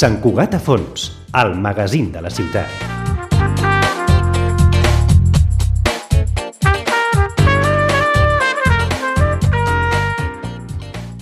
Sant Cugat a fons, el magazín de la ciutat.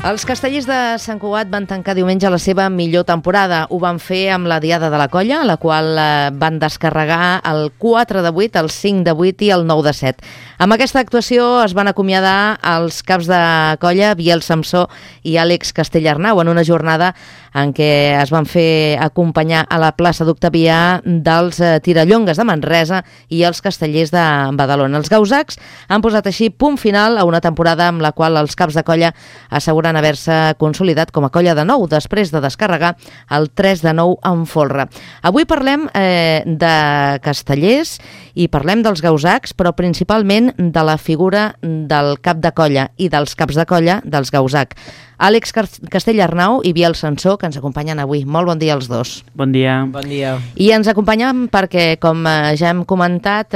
Els castellers de Sant Cugat van tancar diumenge la seva millor temporada. Ho van fer amb la Diada de la Colla, la qual van descarregar el 4 de 8, el 5 de 8 i el 9 de 7. Amb aquesta actuació es van acomiadar els caps de colla Biel Samsó i Àlex Castellarnau en una jornada en què es van fer acompanyar a la plaça d'Octavià dels Tirallongues de Manresa i els castellers de Badalona. Els gausacs han posat així punt final a una temporada amb la qual els caps de colla asseguren haver-se consolidat com a colla de nou després de descarregar el 3 de 9 en folre. Avui parlem de castellers i parlem dels gausacs, però principalment de la figura del cap de colla i dels caps de colla dels gausac. Àlex Castellarnau i Biel Samsó, que ens acompanyen avui. Molt bon dia als dos. Bon dia. Bon dia. I ens acompanyen perquè, com ja hem comentat,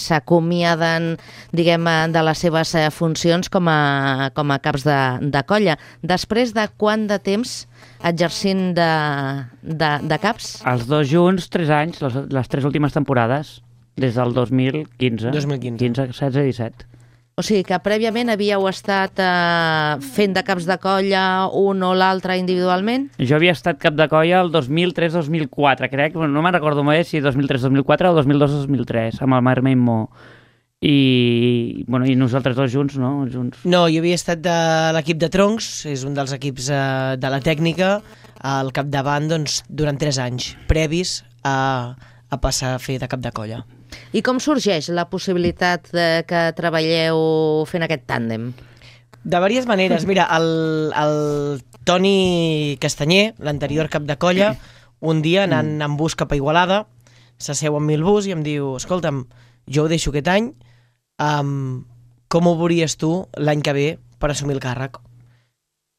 s'acomiaden, diguem, de les seves funcions com a caps de colla. Després de quant de temps exercint de caps? Els dos junts, 3 anys, les 3 últimes temporades, des del 2015. 15, 16 i 17. O sigui que prèviament havíeu estat fent de caps de colla un o l'altre individualment? Jo havia estat cap de colla el 2003-2004, crec, no me'n recordo més si 2003-2004 o 2002-2003, amb el Marc Mo. I nosaltres dos junts, no? No, jo havia estat de l'equip de troncs, és un dels equips de la tècnica, al capdavant durant 3 anys, previs a passar a fer de cap de colla. I com sorgeix la possibilitat que treballeu fent aquest tàndem? De diverses maneres. Mira, el Toni Castanyer, l'anterior cap de colla, un dia anant en bus cap a Igualada, s'asseu amb mi el bus i em diu: escolta'm, jo ho deixo aquest any, com ho veuries tu l'any que ve per assumir el càrrec?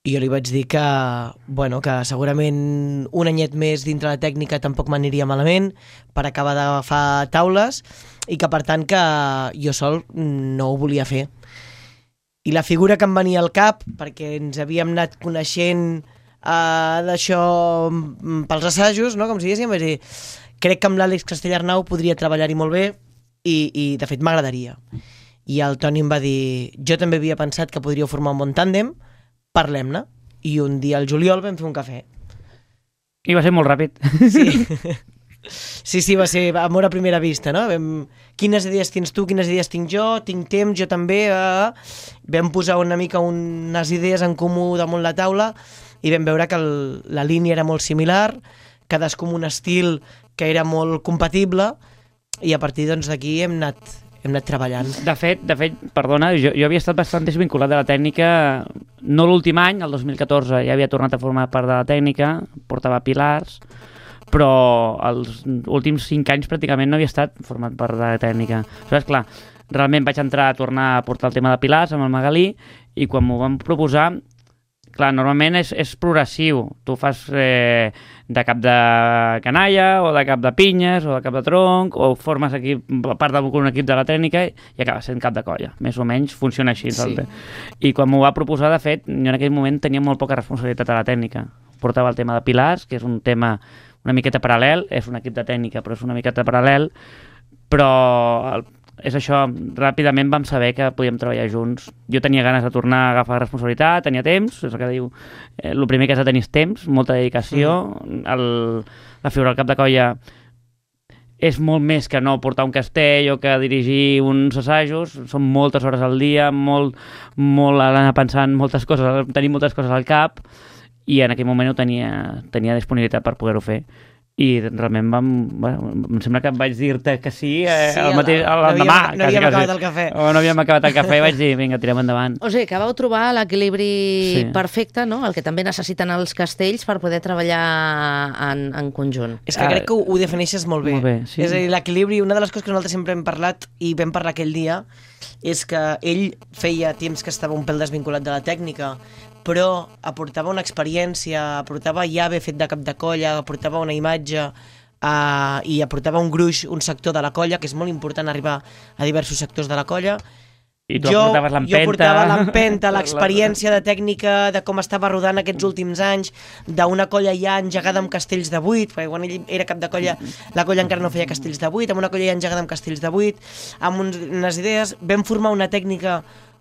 I jo li vaig dir que segurament un anyet més dintre la tècnica tampoc m'aniria malament per acabar d'agafar taules i que per tant que jo sol no ho volia fer. I la figura que em venia al cap, perquè ens havíem anat coneixent d'això pels assajos, no? Com si diguéssim, vaig dir, crec que amb l'Àlex Castellarnau podria treballar-hi molt bé i de fet m'agradaria. I el Toni em va dir, jo també havia pensat que podríeu formar un bon tàndem, parlem-ne. I un dia al juliol vam fer un cafè. I va ser molt ràpid. Sí, va ser amor a primera vista, no? Quines idees tens tu, quines idees tinc jo, tinc temps, jo també. Vam posar una mica unes idees en comú damunt la taula i vam veure que la línia era molt similar, cadascú amb un estil que era molt compatible i a partir d'aquí hem anat treballant. De fet, perdona, jo havia estat bastant desvinculat de la tècnica, no l'últim any, el 2014 ja havia tornat a formar part de la tècnica, portava pilars, però els últims 5 anys pràcticament no havia estat format part de la tècnica. Aleshores, clar, realment vaig tornar a portar el tema de pilars amb el Magalí i quan m'ho van proposar, clar, normalment és progressiu. Tu fas de cap de canalla, o de cap de pinyes, o de cap de tronc, o formes aquí part d'un equip de la tècnica i acabes sent cap de colla. Més o menys funciona així. Sí. I quan m'ho va proposar, de fet, jo en aquell moment tenia molt poca responsabilitat a la tècnica. Portava el tema de pilars, que és un tema una miqueta paral·lel, és un equip de tècnica, però és una miqueta paral·lel, però és això, ràpidament vam saber que podíem treballar junts. Jo tenia ganes de tornar a agafar responsabilitat, tenia temps, és el que diu, el primer que has de tenir és temps, molta dedicació, la figura del cap de colla és molt més que no portar un castell o que dirigir uns assajos, són moltes hores al dia, molt anar pensant moltes coses, tenir moltes coses al cap, i en aquell moment tenia disponibilitat per poder-ho fer. I realment em sembla que vaig dir-te que sí, l'endemà. No havíem acabat el cafè. No havíem acabat el cafè i vaig dir, vinga, tirem endavant. O sigui, que vau trobar l'equilibri perfecte, no? El que també necessiten els castells per poder treballar en conjunt. És que crec que ho defineixes molt bé. Molt bé, sí. És a dir, l'equilibri, una de les coses que nosaltres sempre hem parlat i vam parlar aquell dia, és que ell feia temps que estava un pèl desvinculat de la tècnica, però aportava una experiència, aportava ja haver fet de cap de colla, aportava una imatge i aportava un gruix, un sector de la colla, que és molt important arribar a diversos sectors de la colla, I tu portaves l'empenta. Jo portava l'empenta, l'experiència de tècnica, de com estava rodant aquests últims anys, d'una colla ja engegada amb castells de 8, perquè quan ell era cap de colla, la colla encara no feia castells de 8, amb una colla ja engegada amb castells de 8, amb unes idees, vam formar una tècnica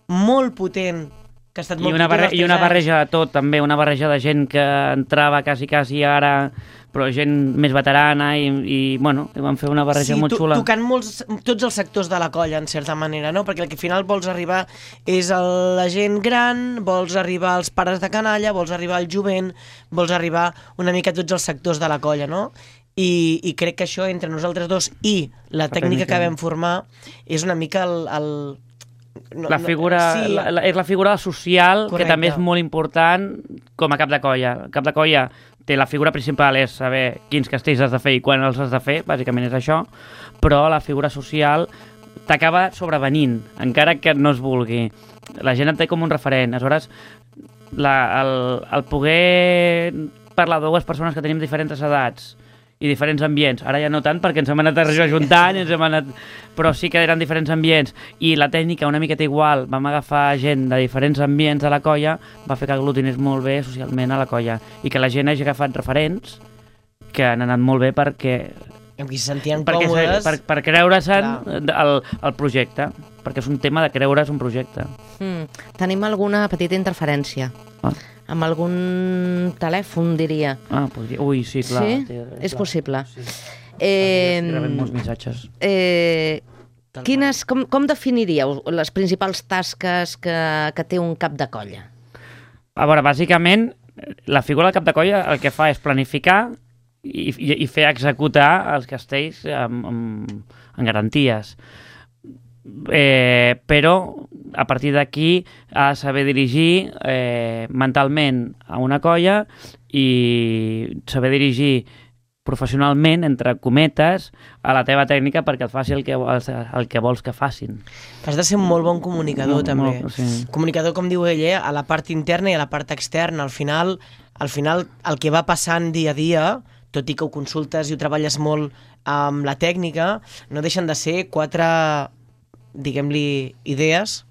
molt potent, que ha estat molt potent. I una barreja de tot, també, una barreja de gent que entrava quasi ara, però gent més veterana i bueno, vam fer una barreja molt xula. Tocant tots els sectors de la colla, en certa manera, no? Perquè al final vols arribar és la gent gran, vols arribar als pares de canalla, vols arribar al jovent, vols arribar una mica a tots els sectors de la colla, no? I crec que això, entre nosaltres dos i la tècnica que vam formar, és una mica és la figura social. Correcte. Que també és molt important com a cap de colla. El cap de colla té la figura principal, és saber quins castells has de fer i quan els has de fer, bàsicament és això, però la figura social t'acaba sobrevenint, encara que no es vulgui. La gent et té com un referent. Aleshores, el poder parlar de dues persones que tenim diferents edats i diferents ambients, ara ja no tant perquè ens hem anat ajuntant, però sí que eren diferents ambients, i la tècnica una miqueta igual, vam agafar gent de diferents ambients de la colla, va fer que aglutinés molt bé socialment a la colla, i que la gent hagi agafat referents que han anat molt bé perquè amb qui se sentien còmodes per creure-se'n el projecte, perquè és un tema de creure's un projecte. Tenim alguna petita interferència. Amb algun telèfon, diria. Podria. Ui, sí, clar. Sí? És possible. Sí. Rebem molts missatges. Com definiríeu les principals tasques que té un cap de colla? A veure, bàsicament, la figura del cap de colla el que fa és planificar i fer executar els castells amb garanties. Però a partir d'aquí ha de saber dirigir mentalment a una colla i saber dirigir professionalment, entre cometes, a la teva tècnica perquè et faci el que vols que facin. Has de ser un molt bon comunicador, també. Sí. Comunicador, com diu ell, a la part interna i a la part externa. Al final, el que va passant dia a dia, tot i que ho consultes i ho treballes molt amb la tècnica, no deixen de ser 4, diguem-li, idees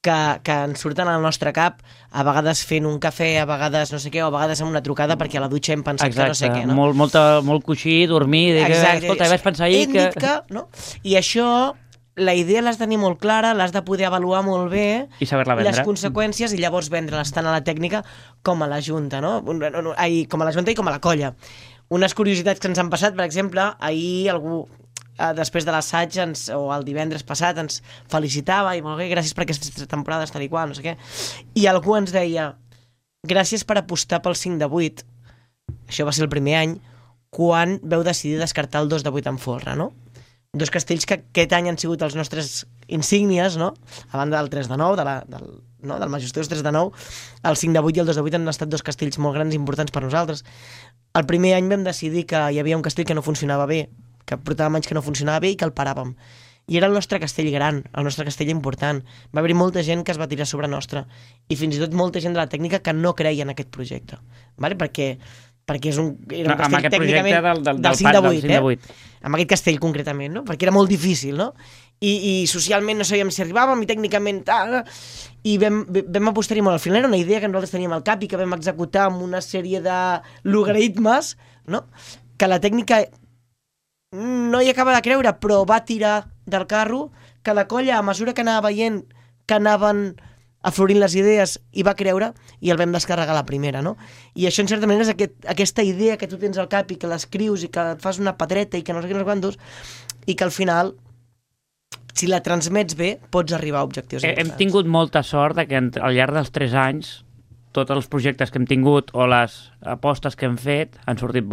que ens surten al nostre cap, a vegades fent un cafè, a vegades no sé què, o a vegades amb una trucada perquè a la dutxa hem pensat que no sé què, no? Molt coixí, dormir, escolta, vaig pensar ahir que... no? I això, la idea l'has de tenir molt clara, l'has de poder avaluar molt bé, i saber-la vendre. Les conseqüències, i llavors vendre-les tant a la tècnica com a la junta, no? Com a la junta i com a la colla. Unes curiositats que ens han passat, per exemple, ahir algú després de l'assaig o el divendres passat ens felicitava i molt bé, gràcies per aquestes temporades tal i qual, no sé què, i algú ens deia gràcies per apostar pel 5 de 8. Això va ser el primer any quan veu decidir descartar el 2 de 8 en folre, no? Dos castells que aquest any han sigut els nostres insígnies, no? A banda del 3 de 9, del majestuós 3 de 9, el 5 de 8 i el 2 de 8 han estat dos castells molt grans i importants per nosaltres. El primer any vam decidir que hi havia un castell que no funcionava bé, que portàvem anys que no funcionava bé i que el paràvem. I era el nostre castell gran, el nostre castell important. Va haver-hi molta gent que es va tirar sobre nostre, i fins i tot molta gent de la tècnica que no creia en aquest projecte, vale? perquè era un castell tècnicament del 5 de 8, amb aquest castell concretament, no? Perquè era molt difícil, no? I socialment no sabíem si arribàvem, i tècnicament i vam apostar-hi molt. Al final era una idea que nosaltres teníem al cap i que vam executar amb una sèrie de logaritmes, no? Que la tècnica no hi acaba de creure, però va tirar del carro, que la colla, a mesura que anava veient que anaven aflorint les idees, hi va creure, i el vam descarregar la primera, no? I això, en certa manera, és aquesta idea que tu tens al cap i que l'escrius i que et fas una pedreta i que no sé què, no sé quantos, i que al final, si la transmets bé, pots arribar a objectius importants. Hem tingut molta sort que al llarg dels 3 anys tots els projectes que hem tingut o les apostes que hem fet han sortit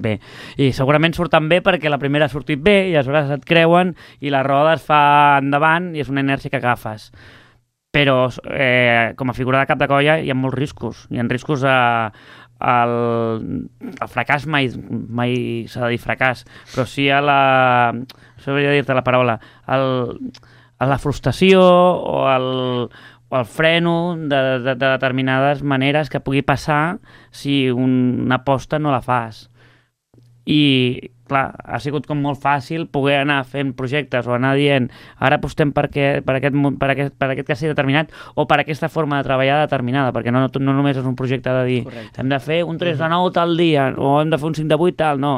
bé. I segurament surten bé perquè la primera ha sortit bé i aleshores et creuen i la roda es fa endavant i és una inèrcia que agafes. Però com a figura de cap de colla hi ha molts riscos. Hi ha riscos el fracàs mai s'ha de dir fracàs, però sí a la... sabria dir-te la paraula, a la frustració o el freno de determinades maneres que pugui passar si una aposta no la fas. i clar, ha sigut com molt fàcil poder anar fent projectes o anar dient ara apostem per aquest castell determinat o per aquesta forma de treballar determinada, perquè no només és un projecte de dir hem de fer un 3 de 9 tal dia o hem de fer un 5 de 8 tal, no,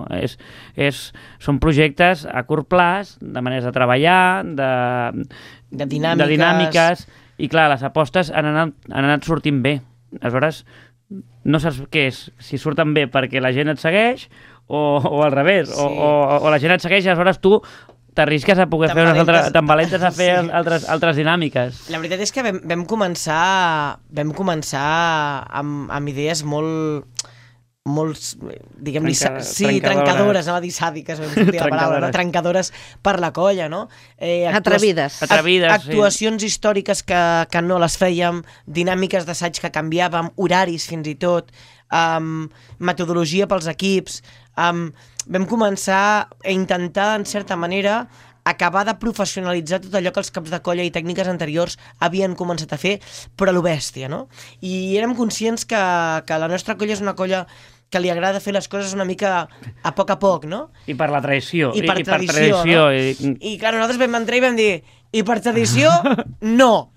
són projectes a curt plaç, de maneres de treballar, de dinàmiques, i clar, les apostes han anat sortint bé. Aleshores, no saps què és, si surten bé perquè la gent et segueix o al revés, sí. o la gent et segueix i aleshores tu t'arrisques a poder fer tan valentes a fer altres dinàmiques. La veritat és que vam començar amb idees molt diguem-li, trencadores, anava a dir sàdiques, la paraula, no? Trencadores per la colla, no? Atrevides. Actuacions històriques que no les fèiem, dinàmiques d'assaig que canviàvem, horaris fins i tot, metodologia pels equips. Vam començar a intentar, en certa manera, acabar de professionalitzar tot allò que els caps de colla i tècniques anteriors havien començat a fer, però a lo bèstia, no? I érem conscients que la nostra colla és una colla que li agrada fer les coses una mica a poc, no? I per la tradició. I per tradició, no? I clar, nosaltres vam entrar i vam dir i per tradició, no.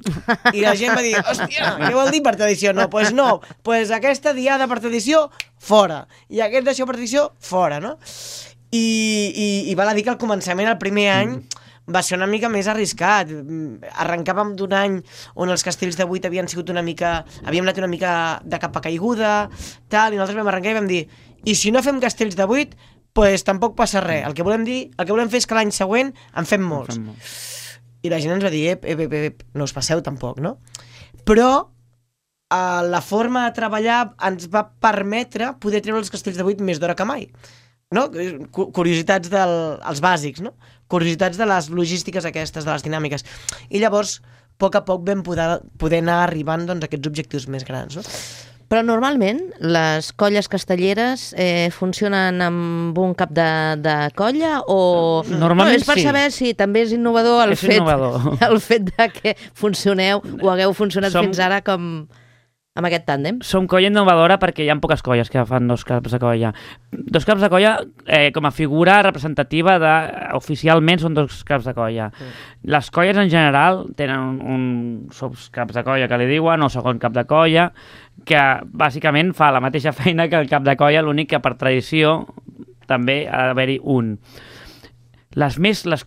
I la gent va dir, hòstia, què vol dir per tradició? No, doncs no. Doncs aquesta diada per tradició, fora. I aquest d'això per tradició, fora, no? I val a dir que al començament, el primer any, va ser una mica més arriscat. Arrencàvem d'un any on els castells de 8 havien anat una mica de capa caiguda, tal, i nosaltres vam arrencar i vam dir, i si no fem castells de 8, doncs tampoc passa res. El que volem fer és que l'any següent en fem molts. I la gent ens va dir, no us passeu tampoc, no? Però la forma de treballar ens va permetre poder treure els castells de 8 més d'hora que mai. No? Curiositats dels bàsics, no? Curiositats de les logístiques aquestes, de les dinàmiques. I llavors, a poc vam poder anar arribant a aquests objectius més grans, no? Però normalment les colles castelleres funcionen amb un cap de colla o... Normalment és per saber si també és innovador el fet de que funcioneu o hagueu funcionat fins ara com amb aquest tàndem. Som colla innovadora perquè hi ha poques colles que fan dos caps de colla. Dos caps de colla com a figura representativa oficialment són dos caps de colla. Les colles en general tenen un caps de colla que li diuen o segon cap de colla que bàsicament fa la mateixa feina que el cap de colla, l'únic que per tradició també ha d'haver-hi un. Les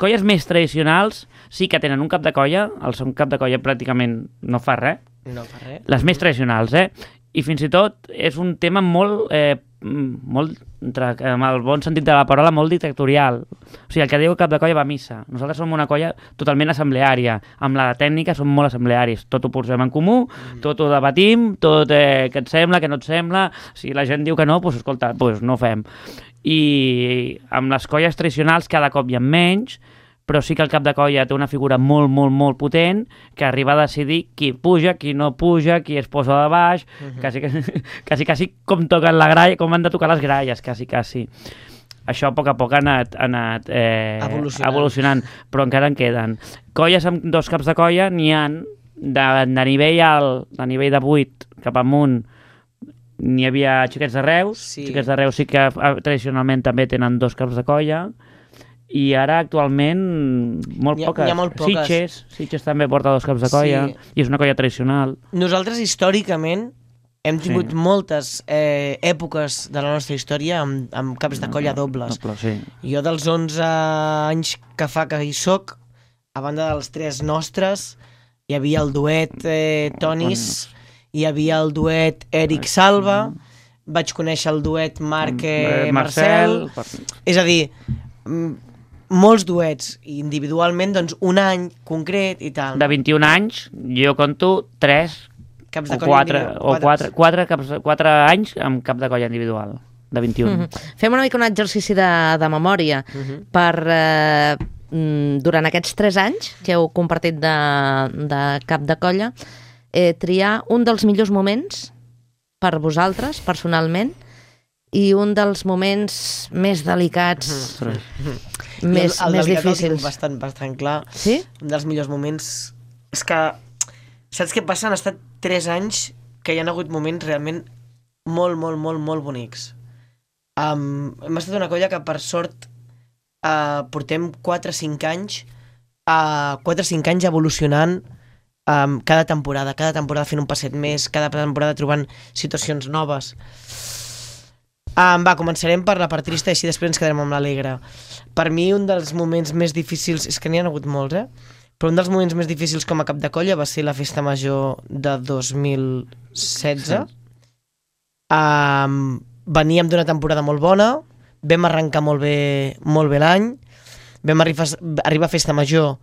colles més tradicionals sí que tenen un cap de colla, el segon cap de colla pràcticament no fa res. No fa res. Les més tradicionals, I fins i tot és un tema molt, amb el bon sentit de la paraula, molt dictatorial. O sigui, el que diu el cap de colla va a missa. Nosaltres som una colla totalment assembleària. Amb la tècnica som molt assemblearis. Tot ho posem en comú, tot ho debatim, tot què et sembla, què no et sembla. Si la gent diu que no, doncs escolta, no ho fem. I amb les colles tradicionals cada cop hi ha menys, però sí que el cap de colla té una figura molt, molt, molt potent que arriba a decidir qui puja, qui no puja, qui es posa de baix, quasi com toquen la gralla, com han de tocar les gralles, quasi. Això a poc ha anat evolucionant, però encara en queden. Colles amb dos caps de colla n'hi ha de nivell alt, de nivell de 8 cap amunt, n'hi havia Xiquets de Reus, Xiquets de Reus sí que tradicionalment també tenen dos caps de colla, i ara actualment molt poques. Hi ha molt poques. Sitges també porta dos caps de colla, i és una colla tradicional. Nosaltres històricament hem tingut moltes èpoques de la nostra història amb caps de colla dobles. Jo dels 11 anys que fa que hi soc, a banda dels 3 nostres, hi havia el duet Tonis, hi havia el duet Eric Salva, vaig conèixer el duet Marc Marcel, és a dir, molts duets, i individualment doncs un any concret i tal. De 21 anys, jo conto 3 caps de colla 4 anys amb cap de colla individual, de 21. Fem una mica un exercici de memòria per, durant aquests 3 anys que heu compartit de cap de colla, triar un dels millors moments per vosaltres, personalment, i un dels moments més delicats, més difícils. Bastant clar. Sí? Un dels millors moments... És que, saps què passa? Han estat 3 anys que hi ha hagut moments realment molt, molt, molt, molt bonics. Hem estat una colla que, per sort, portem 4 o 5 anys 4 o 5 anys evolucionant cada temporada fent un passet més, cada temporada trobant situacions noves. Començarem per la part trista i així després ens quedarem amb l'alegre. Per mi un dels moments més difícils, és que n'hi ha hagut molts, però un dels moments més difícils com a cap de colla va ser la festa major de 2016. Veníem d'una temporada molt bona, vam arrencar molt bé l'any, vam arribar a festa major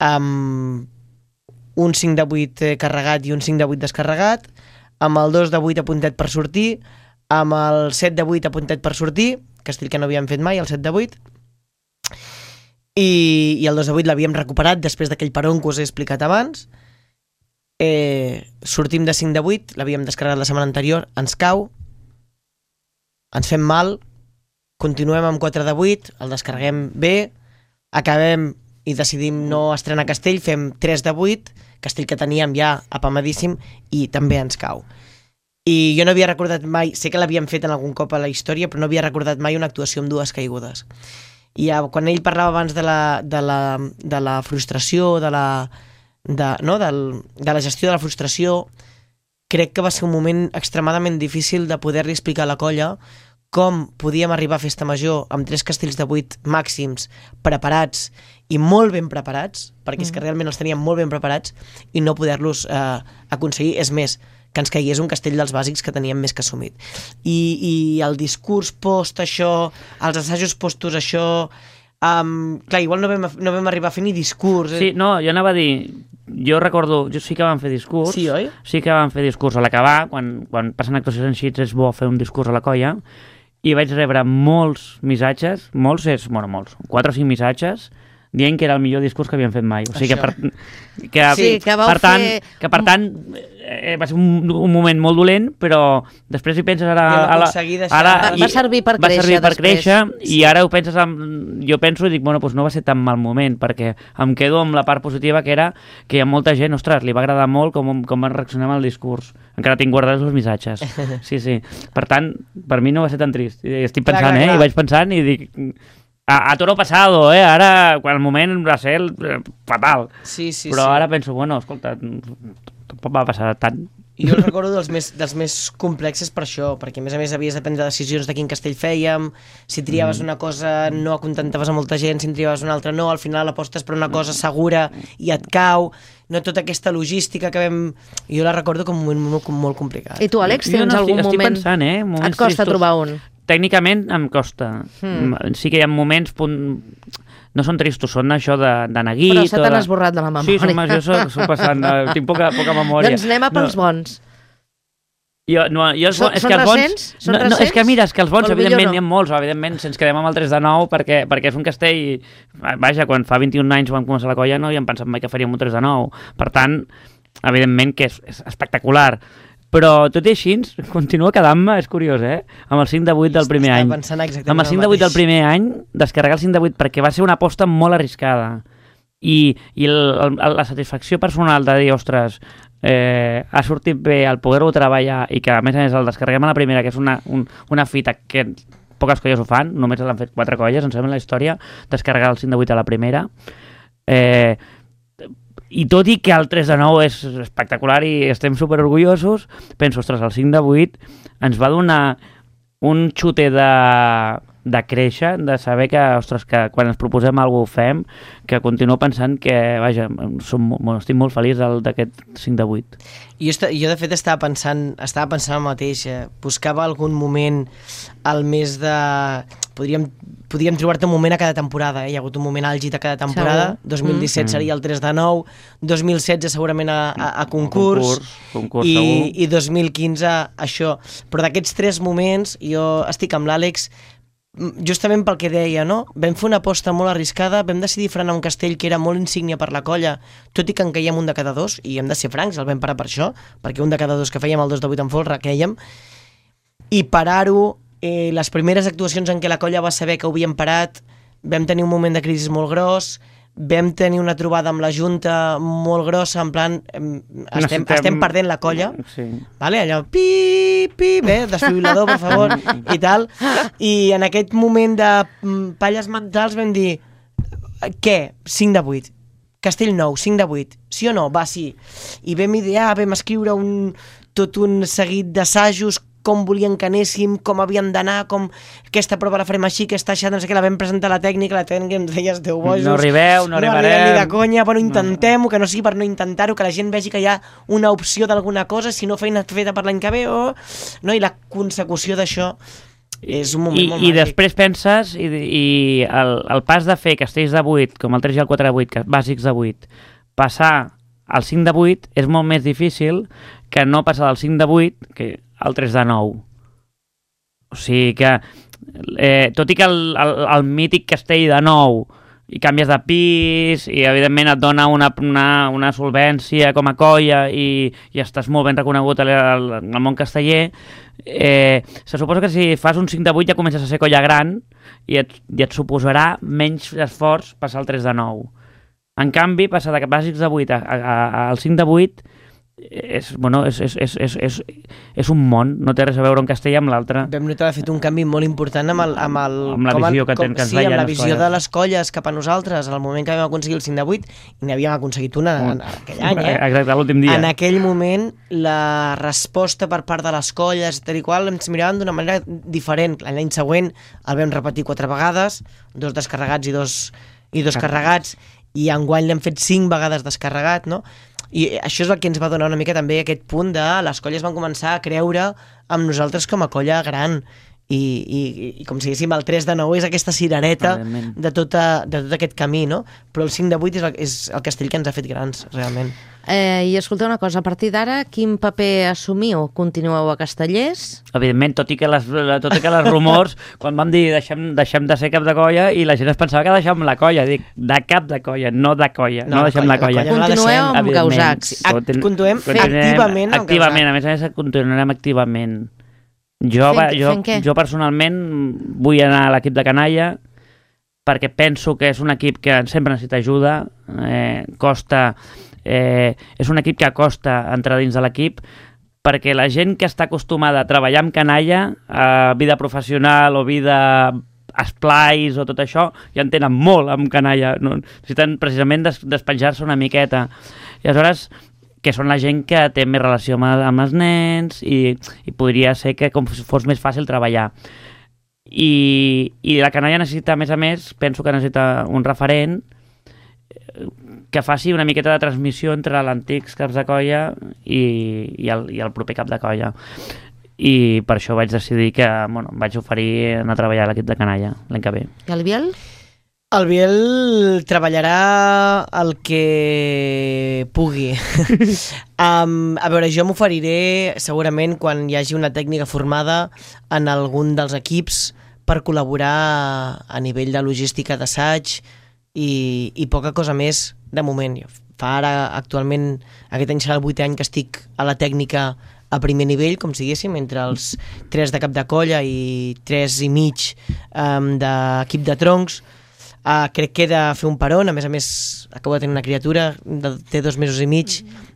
amb un 5 de 8 carregat i un 5 de 8 descarregat, amb el 2 de 8 apuntat per sortir, amb el 7 de 8 apuntat per sortir, castell que no havíem fet mai, el 7 de 8, i el 2 de 8 l'havíem recuperat després d'aquell peron que us he explicat abans. Sortim de 5 de 8, l'havíem descarregat la setmana anterior, ens cau, ens fem mal, continuem amb 4 de 8, el descarreguem bé, acabem i decidim no estrenar castell, fem 3 de 8, castell que teníem ja apamadíssim, i també ens cau. I jo no havia recordat mai, sé que l'havíem fet en algun cop a la història, però no havia recordat mai una actuació amb 2 caigudes. I quan ell parlava abans de la frustració, de la gestió de la frustració, crec que va ser un moment extremadament difícil de poder-li explicar a la colla com podíem arribar a festa major amb 3 castells de 8 màxims preparats i molt ben preparats, perquè és que realment els teníem molt ben preparats, i no poder-los aconseguir. És més, que ens caigués un castell dels bàsics que teníem més que assumit. I el discurs post això, els assajos postos això, clar, igual no vam arribar a fer ni discurs. Sí, no, jo anava a dir, jo recordo, sí que vam fer discurs. Sí, oi? Sí que vam fer discurs a l'acabar, quan passen actuacions en xits és bo fer un discurs a la colla, i vaig rebre molts missatges, molts, 4 o 5 missatges, dient que era el millor discurs que havíem fet mai. O sigui que per tant va ser un moment molt dolent, però després hi penses ara va servir per créixer, i ara ho penses jo penso i dic, bueno, doncs no va ser tan mal moment, perquè em quedo amb la part positiva, que era que hi ha molta gent, ostres, li va agradar molt com van reaccionar amb el discurs. Encara tinc guardats els missatges. Sí. Per tant, per mi no va ser tan trist. Estic pensant, i vaig pensant i dic, a toro pasado, ara, quan el moment va ser fatal. Sí. Però ara penso, bueno, escolta, tampoc va passar tant. Jo el recordo dels més complexes per això, perquè a més havies de prendre decisions de quin castell fèiem, si triaves una cosa no acontentaves a molta gent, si en triaves una altra no, al final apostes per una cosa segura i et cau, no tota aquesta logística que vam... Jo la recordo com un moment molt complicat. I tu, Àlex, tens algun moment... Estic pensant, et costa trobar un? Tècnicament em costa. Sí que hi ha moments... No són tristos, són això de neguit... Però se t'han esborrat de la memòria. Sí, jo soc passant, tinc poca memòria. Doncs anem a pels bons. Són recents? És que mira, és que els bons, evidentment, n'hi ha molts, evidentment, si ens quedem amb el 3 de 9, perquè és un castell... Vaja, quan fa 21 anys vam començar la colla no havíem pensat mai que faríem un 3 de 9. Per tant, evidentment que és espectacular. Però tot i així, continua quedant-me, és curiós, amb el 5 de 8 del primer any. Amb el 5 de 8 del primer any, descarregar el 5 de 8, perquè va ser una aposta molt arriscada. I la satisfacció personal de dir, ostres, ha sortit bé el poder-ho treballar i que a més el descarreguem a la primera, que és una fita que poques colles ho fan, només l'han fet 4 colles, em sembla, en la història, descarregar el 5 de 8 a la primera. I tot i que el 3 de 9 és espectacular i estem superorgullosos, penso, ostres, el 5 de 8 ens va donar un xute de créixer, de saber que, ostres, que quan ens proposem alguna cosa ho fem, que continuo pensant que, vaja, estic molt feliç d'aquest 5 de 8. Jo de fet estava pensant el mateix, buscava algun moment al mes de... Podríem trobar-te un moment a cada temporada, hi ha hagut un moment àlgid a cada temporada. 2017 seria el 3 de 9, 2016 segurament a concurs i 2015 això. Però d'aquests 3 moments jo estic amb l'Àlex justament pel que deia, no? Vam fer una aposta molt arriscada, vam decidir frenar un castell que era molt insígnia per la colla, tot i que en caiem un de cada 2, i hem de ser francs, el vam parar per això, perquè un de cada 2 que fèiem el 2 de 8 en folre quèiem, i parar-ho, les primeres actuacions en què la colla va saber que ho havíem parat, vam tenir un moment de crisi molt gros, vam tenir una trobada amb la Junta molt grossa, en plan, estem perdent la colla, vale? Allò, desfibrilador, per favor, i tal, i en aquest moment de palles mentals vam dir, què? 5 de 8. Castellnou, 5 de 8. Sí o no? Va, sí. I vam idear, vam escriure tot un seguit d'assajos, com volien que anéssim, com havíem d'anar, com aquesta prova la farem així, aquesta així, no sé què, la vam presentar a la tècnica ens deia, esteu bojos, no arribarem ni de conya, però intentem-ho, que no sigui per no intentar-ho, que la gent vegi que hi ha una opció d'alguna cosa, si no feina feta per l'any que ve, no? I la consecució d'això és un moment molt màgic. I després penses, i el pas de fer castells de 8, com el 3 i el 4 de 8, bàsics de 8, passar al 5 de 8 és molt més difícil que no passar del 5 de 8 que al 3 de 9. O sigui que, tot i que el mític castell de 9 i canvies de pis i evidentment et dona una solvència com a colla i estàs molt ben reconegut al món casteller, se suposa que si fas un 5 de 8 ja comences a ser colla gran i et suposarà menys esforç passar al 3 de 9. En canvi, passar de bàsics de 8 al 5 de 8 és un món, no té res a veure un castell amb l'altre. Vam notar de fet un canvi molt important amb la visió que ens veien la visió de les colles cap a nosaltres, al moment que vam aconseguir el 5 de 8, i n'havíem aconseguit una en aquell any, Exacte, l'últim dia. En aquell moment, la resposta per part de les colles, tal i qual, ens miraven d'una manera diferent. L'any següent el vam repetir 4 vegades, 2 descarregats i dos carregats, i enguany l'hem fet 5 vegades descarregat, no? I això és el que ens va donar una mica també aquest punt de les colles van començar a creure amb nosaltres com a colla gran i com si diguéssim el 3 de 9 és aquesta cirereta de tot aquest camí, no? Però el 5 de 8 és el castell que ens ha fet grans, realment. I escolta una cosa, a partir d'ara, quin paper assumiu? Continueu a Castellers? Evidentment, tot i que les rumors, quan vam dir deixem de ser cap de colla, i la gent es pensava que deixem la colla, dic, de cap de colla, no de colla, no deixem la colla. Continueu amb Causacs. Continuem activament amb Causacs. A més, continuarem activament. Jo personalment vull anar a l'equip de canalla perquè penso que és un equip que sempre necessita ajuda, és un equip que costa entrar dins de l'equip perquè la gent que està acostumada a treballar amb canalla, vida professional o vida esplais o tot això, ja en tenen molt amb canalla, no? Necessiten precisament despenjar-se una miqueta. I aleshores, que són la gent que té més relació amb els nens i podria ser que com fos més fàcil treballar. I la canalla necessita, a més, penso que necessita un referent que faci una miqueta de transmissió entre l'antics caps de colla i el proper cap de colla. I per això vaig decidir que vaig oferir anar a treballar a l'equip de canalla l'any que ve. I el Biel? El Biel treballarà el que pugui. A veure, jo m'oferiré segurament quan hi hagi una tècnica formada en algun dels equips per col·laborar a nivell de logística d'assaig i poca cosa més de moment. Fa ara, actualment, aquest any serà el 8è any que estic a la tècnica a primer nivell, com si diguéssim, entre els 3 de cap de colla i 3 i mig d'equip de troncs. Crec que he de fer un peron, a més acabo de tenir una criatura, té 2 mesos i mig,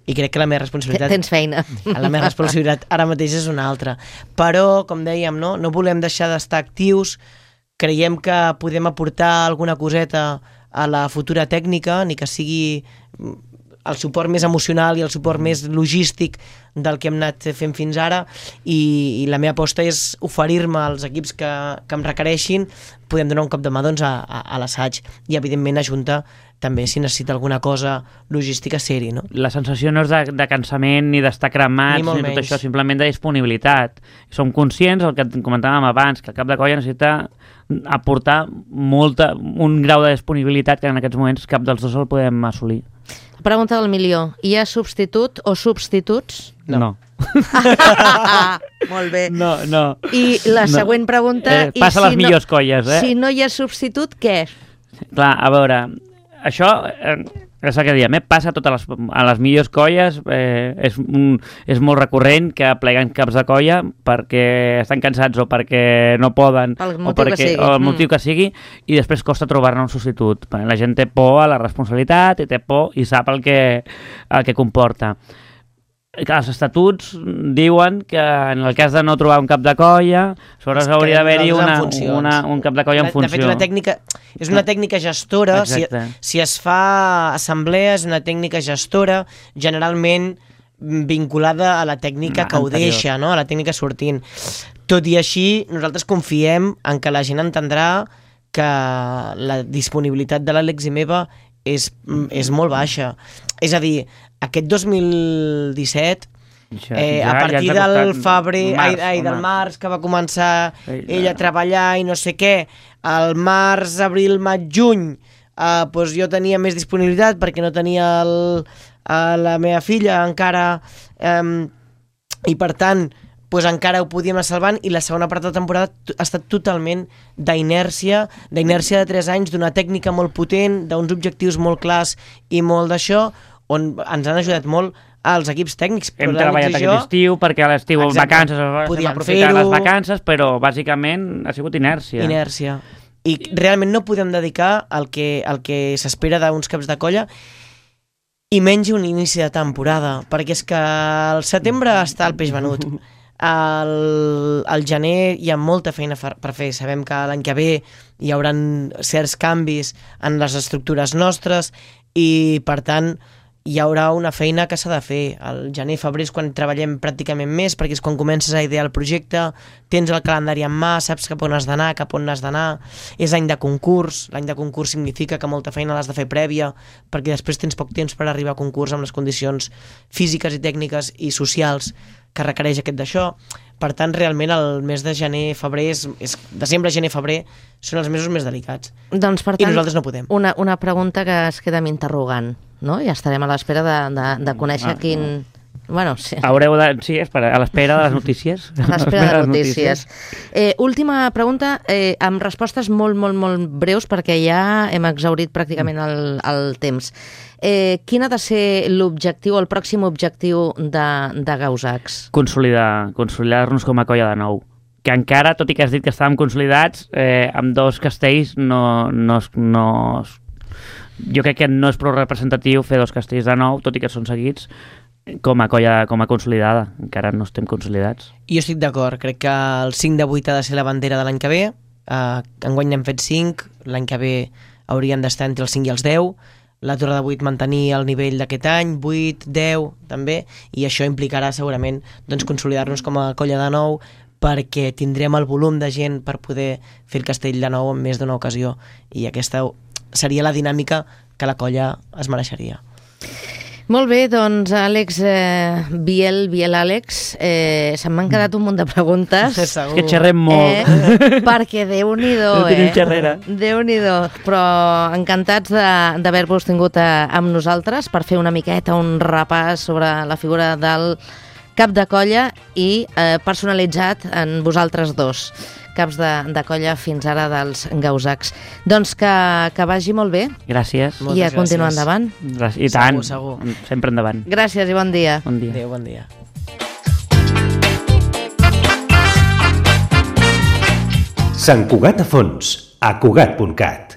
i crec que la meva responsabilitat... Tens feina. La meva responsabilitat ara mateix és una altra. Però, com dèiem, no volem deixar d'estar actius, creiem que podem aportar alguna coseta a la futura tècnica, ni que sigui el suport més emocional i el suport més logístic del que hem anat fent fins ara, i la meva aposta és oferir-me als equips que em requereixin, podem donar un cop de mà a l'assaig, i evidentment a Junta també si necessita alguna cosa logística ser-hi, no? La sensació no és de cansament ni d'estar cremats ni tot això, simplement de disponibilitat. Som conscients, el que comentàvem abans, que el cap de colla necessita aportar un grau de disponibilitat que en aquests moments cap dels dos el podem assolir. Pregunta del milió. Hi ha substitut o substituts? No. Molt bé. No. I la següent pregunta... Passa les millors colles, Si no hi ha substitut, què? Clar, a veure, això És el que diem, passa a les millors colles, és molt recurrent que pleguen caps de colla perquè estan cansats o perquè no poden Pel o motiu que sigui. el motiu que sigui, i després costa trobar-ne un substitut. La gent té por a la responsabilitat i té por i sap el que comporta. Els estatuts diuen que en el cas de no trobar un cap de colla, aleshores hauria d'haver-hi un cap de colla en funció. De fet, és una tècnica gestora. Si es fa assemblea, és una tècnica gestora, generalment vinculada a la tècnica que ho deixa, no? A la tècnica sortint. Tot i així, nosaltres confiem en que la gent entendrà que la disponibilitat de l'Àlex i meva és molt baixa. És a dir, aquest 2017, a partir del febrer, del març, que va començar ell a treballar i no sé què, al març, abril, maig, juny, doncs jo tenia més disponibilitat perquè no tenia la meva filla encara, i per tant doncs encara ho podíem anar salvant, i la segona part de la temporada ha estat totalment d'inèrcia de 3 anys, d'una tècnica molt potent, d'uns objectius molt clars i molt d'això, on ens han ajudat molt als equips tècnics. Hem treballat aquest estiu, perquè a l'estiu vacances, hem aprofitat les vacances, però bàsicament ha sigut inèrcia. I realment no podem dedicar el que s'espera d'uns caps de colla, i menys un inici de temporada, perquè és que al setembre està el peix venut. Al gener hi ha molta feina per fer. Sabem que l'any que ve hi haurà certs canvis en les estructures nostres i, per tant, hi haurà una feina que s'ha de fer. Al gener, febrer és quan treballem pràcticament més, perquè és quan comences a idear el projecte, tens el calendari en mà, saps cap on has d'anar, cap on n'has d'anar. És any de concurs. L'any de concurs significa que molta feina l'has de fer prèvia, perquè després tens poc temps per arribar a concurs amb les condicions físiques i tècniques i socials que requereix aquest d'això. Per tant, realment el mes de gener, febrer, desembre, gener, febrer, són els mesos més delicats. Doncs, per tant, i nosaltres no podem. Una pregunta que es queda amb interrogant, no? Ja estarem a l'espera de conèixer quin... Bueno, sí. Haureu de... Sí, a l'espera de les notícies. A l'espera de les notícies. Última pregunta, amb respostes molt, molt, molt breus, perquè ja hem exhaurit pràcticament el temps. Quin ha de ser l'objectiu, el pròxim objectiu de Gausacs? Consolidar-nos com a colla de nou. Que encara, tot i que has dit que estàvem consolidats, amb 2 castells jo crec que no és prou representatiu fer 2 castells de nou, tot i que són seguits, com a colla consolidada. Encara no estem consolidats. Jo estic d'acord. Crec que el 5 de 8 ha de ser la bandera de l'any que ve. Enguany n'hem fet 5. L'any que ve haurien d'estar entre els 5 i els 10. La torre de 8 mantenir el nivell d'aquest any, 8, 10 també, i això implicarà segurament consolidar-nos com a colla de nou, perquè tindrem el volum de gent per poder fer el castell de nou en més d'una ocasió, i aquesta seria la dinàmica que la colla es mereixeria. Molt bé, doncs Àlex, Biel Àlex, se m'han quedat un munt de preguntes. És que xerrem molt. Perquè Déu-n'hi-do, Déu-n'hi-do. Però encantats d'haver-vos tingut amb nosaltres per fer una miqueta un repàs sobre la figura del cap de colla i personalitzat en vosaltres dos. Caps de colla fins ara dels Gausacs. Doncs que vagi molt bé. Gràcies. I a continuar endavant. I tant, segur. sempre endavant. Gràcies i bon dia. Bon dia. Adéu, bon dia. Sant Cugat a fons, a Cugat.cat.